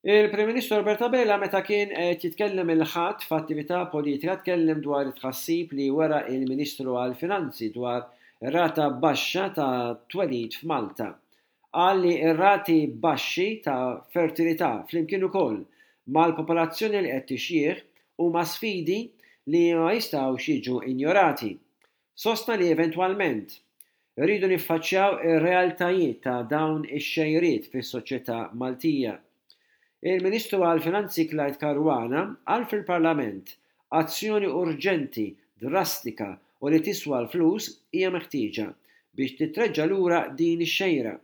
Il-Prim Ministru Robert Abela meta kien qed jitkellem il-Ħadd f'attività politika tkellem dwar it-tħassib li wera il-Ministru għall-Finanzi dwar ir-rata baxxa ta' twelid f'Malta. Qal li r-rati baxxi ta' fertilità flimkien ukoll mal-popolazzjoni li qed tixjieħ huma sfidi li ma jistgħux jiġu injorati. Sostna li eventwalment, irridu niffaċċjaw ir-realtajiet ta' dawn ix-xejriet fis-soċjetà Maltija. Il-Ministru għall-Finanzi Clyde Caruana qal fil-Parlament azzjoni urġenti, drastika u li tiswa l-flus hija meħtieġa biex titreġġa' lura din ix-xejra.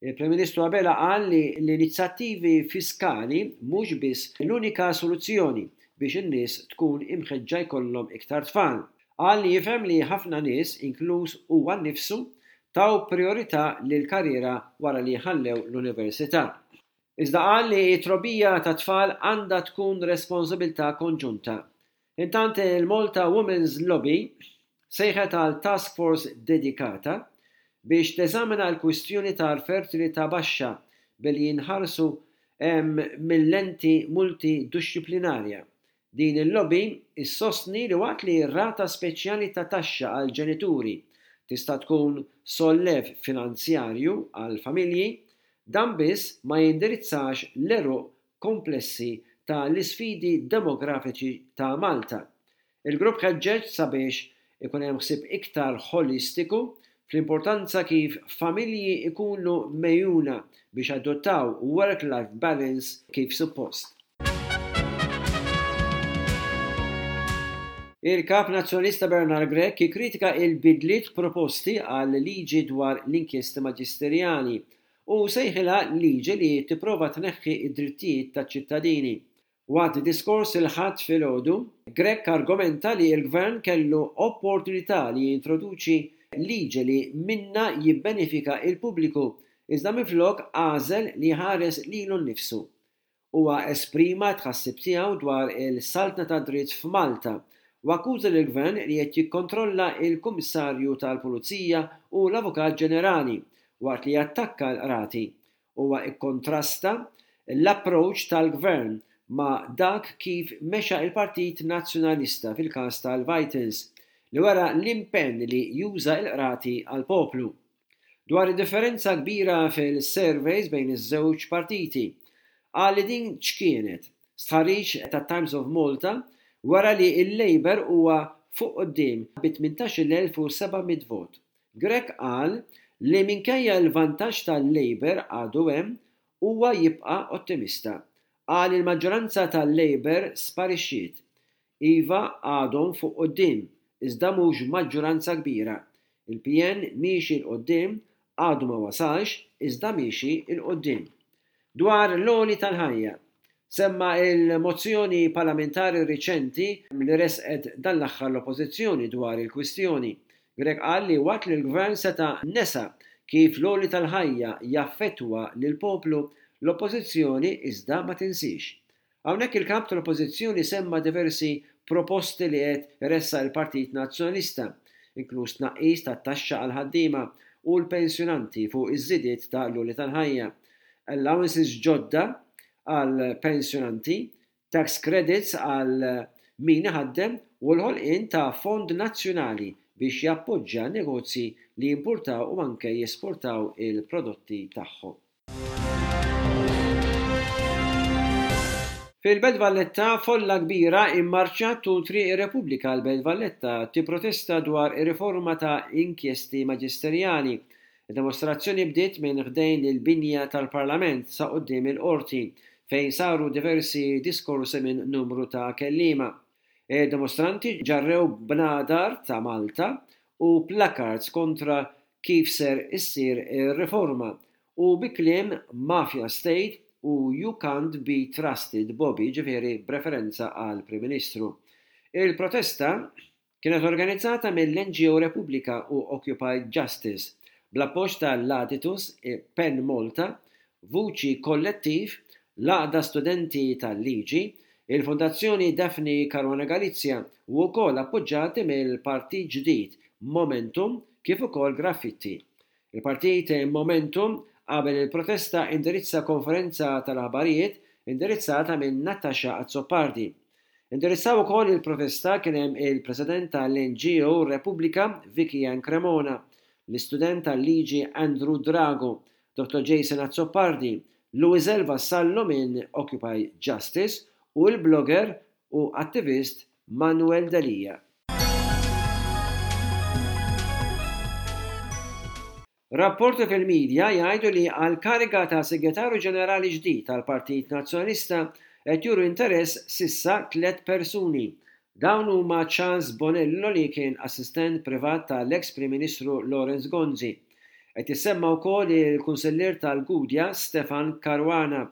Il-Prim Ministru Abela qal li l-inizjattivi fiskali mhux biss l-unika soluzzjoni biex in-nies tkun imħeġġa jkollhom iktar tfal. Qal li jifhem li ħafna nies, inkluż huwa nnifsu, taw prijorità lill-karriera wara li ħallew l-università. Iżda qal li t-trobbija tat-tfal għandha tkun responsabilità konġunta. Intant il-Malta Women's Lobby sejħet għal task force dedikata biex teżamina l-kwistjoni tal-fertilità baxxa billi jinħarsu mil-lenti multiduxxiplinarja. Din il-lobby issostni li waqt li rata speċjali ta' taxxa għall-ġenituri tista' tkun sollev finanzjarju għall-familji, dan biss ma jindirizzax l-għeruq komplessi ta' l-isfidi demografiċi ta' Malta. Il-grupp ħeġġeġ sabiex ikun hemm ħsieb iktar ħolistiku fl-importanza kif familji jkunu megħjuna biex jadottaw work-life balance kif suppost. Il-Kap Nazzjonalista Bernard Grech ikkritika il-bidliet proposti għal-liġi dwar l-inkjesti maġisterjali u sejħilha liġi li tipprova tneħħi d-drittijiet taċ-ċittadini. Waqt diskors il-Ħadd filgħodu, Grech argumenta li l-Gvern kellu opportunità li jintroduċi liġi li minnha jibbenefika l-pubbliku iżda minflok għażel li jħares lilu nnifsu. Huwa esprima t-tħassib tiegħu dwar il-saltna tad-dritt f'Malta u akkuża lill-Gvern li qed jikkontrolla l-Kummissarju tal-Pulizija u l-Avukat Ġenerali waqt li jattakka l-Qrati. Huwa kkontrasta l-approach tal-Gvern ma' dak kif mexa l-Partit Nazzjonalista fil-każ tal-Vitals, li wera l-impenn li juża l-Qrati għall-poplu. Dwar id-differenza kbira fil-surveys bejn iż-żewġ partiti, qal li din x'kienet. Stħarriġ tat-Times of Malta wera li l-Labour huwa fuq quddiem bi 18,700 vot. Grech qal li minkejja l-vantaġġ tal-Labour għadu hemm, huwa jibqa' ottimista. Qal li l-maġġoranza tal-Labour sparixxiet. Iva għadhom fuq quddiem, iżda mhux b'maġġuranza kbira. Il-PN miexi 'l quddiem, għadu ma wasalx, iżda miexi 'l quddiem. Dwar l-għoli tal-ħajja, semma l-mozzjoni parlamentari riċenti li ressqet dan l-aħħar l-Oppożizzjoni dwar il-kwistjoni. Grech qal li waqt li l-Gvern seta' nesa kif l-għoli tal-ħajja jaffettwa lill-poplu, l-Oppożizzjoni iżda ma tinsiex. Hawnhekk il-Kap tal-Oppożizzjoni semma diversi proposti li qed iressaq il-Partit Nazzjonalista, inkluż tnaqqis tat-taxxa għall-ħaddiema u l-pensjonanti fuq iż-żidiet ta' l-għoli tal-ħajja, allowances ġodda għall-pensjonanti, tax credits għal min iħaddem u l-ħolqien ta' fond nazzjonali biex jappoġġja negozji li jimpurtaw u anke jesportaw il-prodotti tagħhom. Fil-Belt Valletta, folla kbira immarċjat tul Triq ir-Repubblika l-Belt Valletta tipprotesta dwar ir-riforma ta' inkjesti maġisterjali. Id-demostrazzjoni bdiet minn ħdejn il-binja tal-Parlament sa quddiem il-Qorti fejn saru diversi diskorsi minn numru ta' kelliema. Id-dimostranti ġarrew bnadar ta' Malta u placards kontra kif ser issir ir-riforma u bi kliem Mafia State u You can't be trusted Bobby, jiġifieri b'referenza għall-Prim Ministru. Il-protesta kienet organizzata mill-NGO Repubblika u Occupy Justice, bl-appoġġ ta' l-Aditus, Pen Malta, Vuċi Kollettiv, l-Għaqda Studenti tal-Liġi, il-Fondazzjoni Daphne Caruana Galizia u wkoll appoġġati mill-Partit Ġdid Momentum kif ukoll Graffitti. Il-Partit Momentum qabel il-protesta indirizza konferenza tal-aħbarijiet indirizzata minn Natasha Azzopardi. Indirizzaw ukoll il-protesta kien hemm il-President tal-NGO Repubblika Vicky Ann Cremona, l-istudent tal-liġi Andrew Drago, Dottor Jason Azzopardi, Louiselle Vassallo minn Occupy Justice u l-blogger u attivist Manuel Delia. Rapporti fil-midja jgħidu li għall-kariga ta' Segretarju Ġenerali ġdid tal-Partit Nazzjonalista qed juru interess s'issa tlett persuni. Dawn huma Charles Bonello li kien assistent privat tal-eks Prim Ministru Lawrence Gonzi. Qed jissemma wkoll il-Kunsillier tal-Gudja Stefan Caruana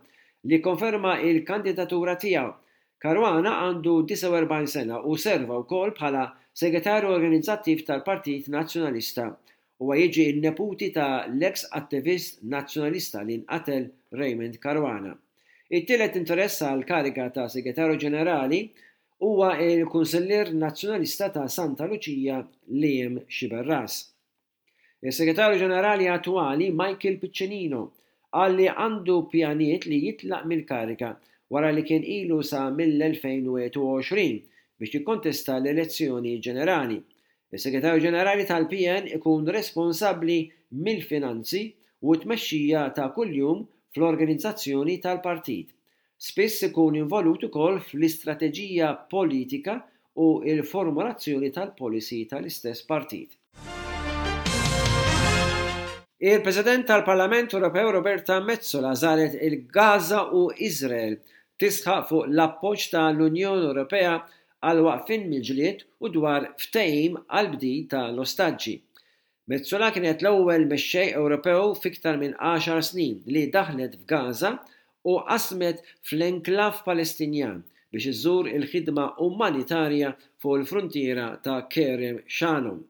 li kkonferma l-kandidatura tiegħu. Caruana għandu 49 sena u serva wkoll bħala Segretarju Organizzattiv tal-Partit Nazzjonalista. Huwa jiġi n-neputi ta' l-eks attivist Nazzjonalista li nqatel Raymond Caruana. It-tielet interess għall-kariga ta' Segretarju Ġenerali huwa l-Kunsillier Nazzjonalista ta' Santa Luċija Liam Sciberras. Is-Segretarju Ġenerali attwali Michael Piccinino qal li għandu pjanijiet li jitlaq mill-kariga wara li kien ilu sa mill-2021 biex jikkontesta l-elezzjoni ġenerali. Is-Segretarju Ġenerali tal-PN ikun responsabbli mill-finanzi u t-tmexxija ta' kuljum fl-organizzazzjoni tal-partit. Spiss ikun involut ukoll fl-istrateġija politika u l-formulazzjoni tal-policy tal-istess partit. Il-President tal-Parlament Ewropew Roberta Metsola żaret il-Gaza u Iżrael tisħaq fuq l-appoġġ ta' l-Unjoni Ewropea għall-waqfien mill-ġlied u dwar ftehim għall-bdil ta' l-ostaġġi. Metsola kienet l-ewwel mexxej Ewropew f'iktar minn għaxar snin li daħlet f'Gaza u qasmet fl-enklav Palestinjan biex iżżur il-ħidma umanitarja fuq il-fruntiera ta' Kerem Shalom.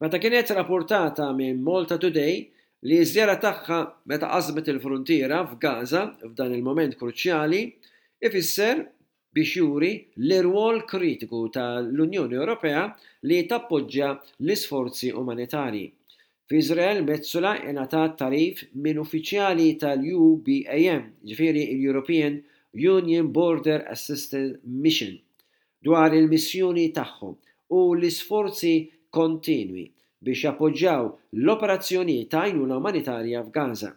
Meta kienet rapportata minn Malta Today li ż-żjara tagħha meta qasmet il-fruntiera f'Gaza f'dan il-mument kruċjali ifisser biex juri l-irwol kritiku ta' l-Unjoni Ewropea li tappoġġja l-isforzi umanitarji. F'Iżrael, Metsola ingħatat tagħrif minn uffiċjali tal-EUBAM, jiġifieri l-European Union Border Assistance Mission, dwar il-missjoni tagħhom u l-isforzi kontinwi biex jappoġġjaw l-operazzjonijiet ta' għajnuna umanitarja f'Gaza.